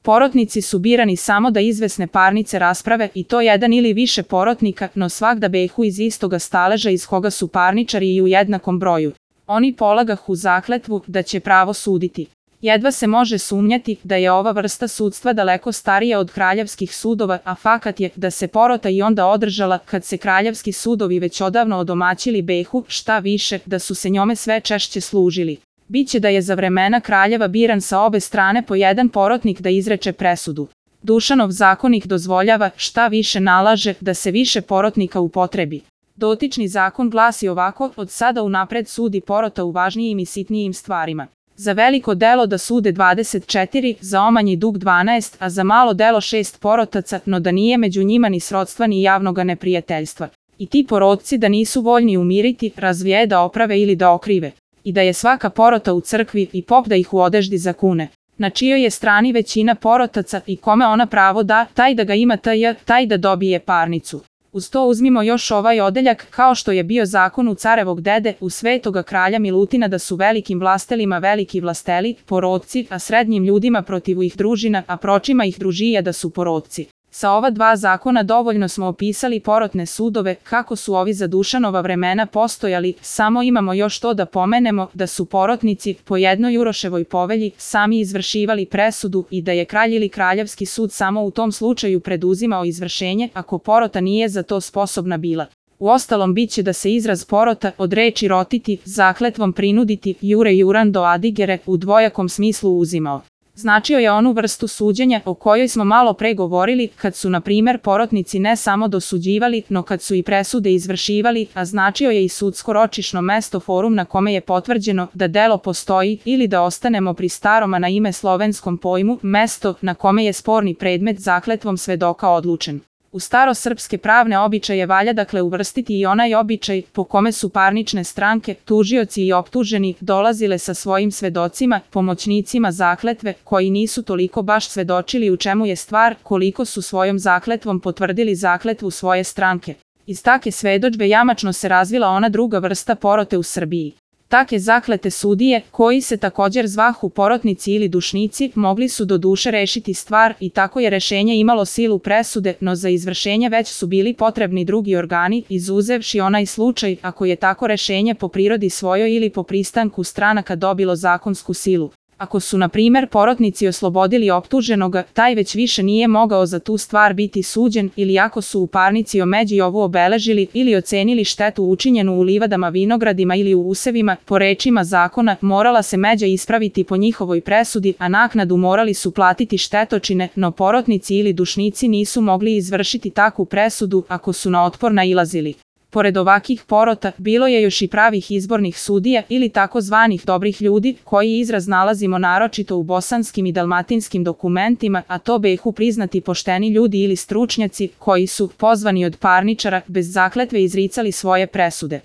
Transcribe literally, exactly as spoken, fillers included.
Porotnici su birani samo da izvesne parnice rasprave i to jedan ili više porotnika, no svak da behu iz istoga staleža iz koga su parničari i u jednakom broju. Oni polagahu zakletvu da će pravo suditi. Jedva se može sumnjati da je ova vrsta sudstva daleko starija od kraljevskih sudova, a fakat je da se porota i onda održala kad se kraljevski sudovi već odavno odomaćili behu, šta više, da su se njome sve češće služili. Biće da je za vremena kraljeva biran sa obe strane po jedan porotnik da izreče presudu. Dušanov zakonik dozvoljava, šta više nalaže, da se više porotnika upotrebi. Dotični zakon glasi ovako: od sada unapred sudi porota u važnijim i sitnijim stvarima. Za veliko delo da sude dvadeset četiri, za omanji dug dvanaest, a za malo delo šest porotaca, no da nije među njima ni srodstva ni javnoga neprijateljstva. I ti porotci da nisu voljni umiriti, razvije da oprave ili da okrive. I da je svaka porota u crkvi i pop da ih u odeždi zakune. Na čijoj je strani većina porotaca i kome ona pravo da, taj da ga ima taj, taj da dobije parnicu. Uz to uzmimo još ovaj odeljak, kao što je bio zakon u carevog dede, u svetoga kralja Milutina da su velikim vlastelima veliki vlasteli, porotci, a srednjim ljudima protiv ih družina, a pročima ih družija da su porotci. Sa ova dva zakona dovoljno smo opisali porotne sudove, kako su ovi za Dušanova vremena postojali, samo imamo još to da pomenemo, da su porotnici, po jednoj Uroševoj povelji, sami izvršivali presudu i da je kralj ili kraljevski sud samo u tom slučaju preduzimao izvršenje, ako porota nije za to sposobna bila. Uostalom biće da se izraz porota od reči rotiti, zakletvom prinuditi, jure jurando adigere, u dvojakom smislu uzimao. Značio je onu vrstu suđenja o kojoj smo malo pre govorili, kad su na primjer porotnici ne samo dosuđivali, no kad su i presude izvršivali, a značio je i sudsko ročišno mesto forum na kome je potvrđeno da delo postoji, ili da ostanemo pri staroma na ime slovenskom pojmu, mesto na kome je sporni predmet zakletvom svedoka odlučen. U starosrpske pravne običaje valja dakle uvrstiti i onaj običaj po kome su parnične stranke, tužioci i optuženi, dolazile sa svojim svedocima, pomoćnicima zakletve, koji nisu toliko baš svedočili u čemu je stvar, koliko su svojom zakletvom potvrdili zakletvu svoje stranke. Iz take svedočbe jamačno se razvila ona druga vrsta porote u Srbiji. Take zaklete sudije, koji se također zvahu porotnici ili dušnici, mogli su do duše rešiti stvar i tako je rešenje imalo silu presude, no za izvršenje već su bili potrebni drugi organi, izuzevši onaj slučaj ako je tako rešenje po prirodi svojoj ili po pristanku stranaka dobilo zakonsku silu. Ako su, na primjer, porotnici oslobodili optuženoga, taj već više nije mogao za tu stvar biti suđen, ili ako su u parnici omeđi ovu obeležili ili ocenili štetu učinjenu u livadama, vinogradima ili u usevima, po rečima zakona, morala se međa ispraviti po njihovoj presudi, a naknadu morali su platiti štetočine, no porotnici ili dušnici nisu mogli izvršiti takvu presudu ako su na otpor nailazili. Pored ovakih porota, bilo je još i pravih izbornih sudija ili takozvanih dobrih ljudi, koji izraz nalazimo naročito u bosanskim i dalmatinskim dokumentima, a to behu priznati pošteni ljudi ili stručnjaci, koji su, pozvani od parničara, bez zakletve izricali svoje presude.